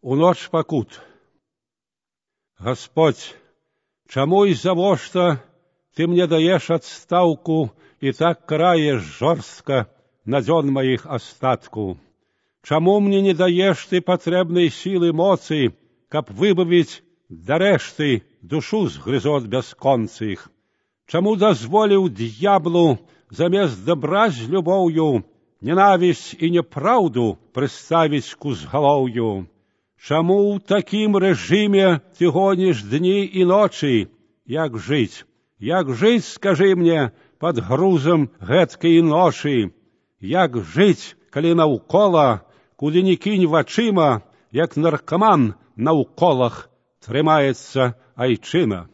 У ноч пакут. Господь, чаму і завошта ты мне даеш адстаўку і так караеш жорстка на дзён маіх астатку? Чаму мне не даеш ты патрэбнай сілы моцы, каб выбавіць дарэшты душу з грызот бясконцых? Чаму дазволіў д'яблу замест дабра з любоўю ненавісць і няпраўду прыставіць к узгалоўю? Чаму ў такім рэжыме ты гоніш дні і ночы? Як жыць? Як жыць, скажы мне, пад грузам гэткай ношы? Як жыць, калі наўкола, куды ні кінь вачыма, як наркаман на ўколах трымаецца айчына?